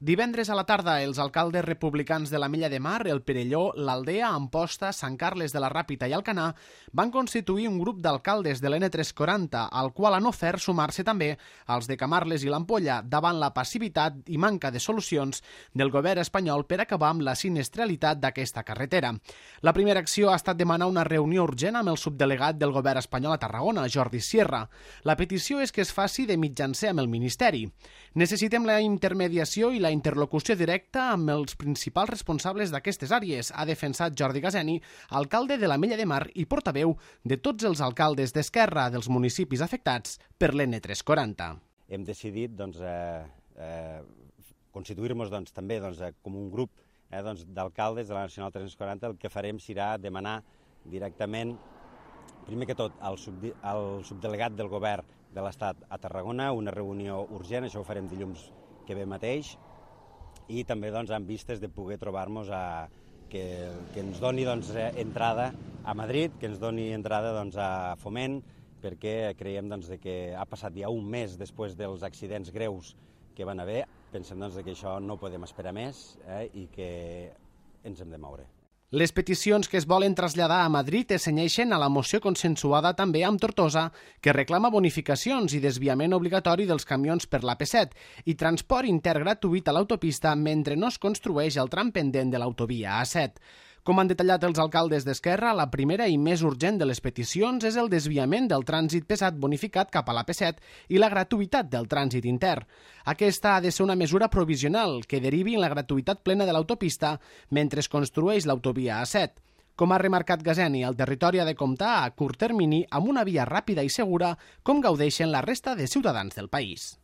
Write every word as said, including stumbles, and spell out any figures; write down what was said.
Divendres a la tarda, els alcaldes republicans de l'Ametlla de Mar, el Perelló, l'Aldea, Amposta, Sant Carles de la Ràpita i Alcanar van constituir un grup d'alcaldes de l'N tres cents quaranta, al qual han ofert sumar-se també els de Camarles i l'Ampolla davant la passivitat i manca de solucions del govern espanyol per acabar amb la sinistralitat d'aquesta carretera. La primera acció ha estat demanar una reunió urgent amb el subdelegat del govern espanyol a Tarragona, Jordi Sierra. La petició és que es faci de mitjancer amb el Ministeri. Necessitem la intermediació i la interlocució directa amb els principals responsables d'aquestes àrees, ha defensat Jordi Gaseni, alcalde de l'Ametlla de Mar i portaveu de tots els alcaldes d'Esquerra dels municipis afectats per l'N tres cents quaranta. Hem decidit doncs, eh, eh, constituir-nos doncs, també doncs, com un grup eh, doncs, d'alcaldes de la Nacional tres cents quaranta. El que farem serà demanar directament, primer que tot, al, sub, al subdelegat del govern de l'Estat a Tarragona, una reunió urgent, això ho farem dilluns que ve mateix, i també doncs, amb vistes de poder trobar-nos a que, que ens doni doncs, entrada a Madrid, que ens doni entrada doncs, a Foment, perquè creiem doncs, que ha passat ja un mes després dels accidents greus que van haver. Pensem doncs, que això no podem esperar més eh, i que ens hem de moure. Les peticions que es volen traslladar a Madrid es cenyeixen a la moció consensuada també amb Tortosa, que reclama bonificacions i desviament obligatori dels camions per l'A P set i transport intern gratuït a l'autopista mentre no es construeix el tram pendent de l'autovia A set. Com han detallat els alcaldes d'Esquerra, la primera i més urgent de les peticions és el desviament del trànsit pesat bonificat cap a l'A P set i la gratuïtat del trànsit intern. Aquesta ha de ser una mesura provisional que derivi en la gratuïtat plena de l'autopista mentre es construeix l'autovia A set. Com ha remarcat Gaseni, el territori ha de comptar a curt termini amb una via ràpida i segura com gaudeixen la resta de ciutadans del país.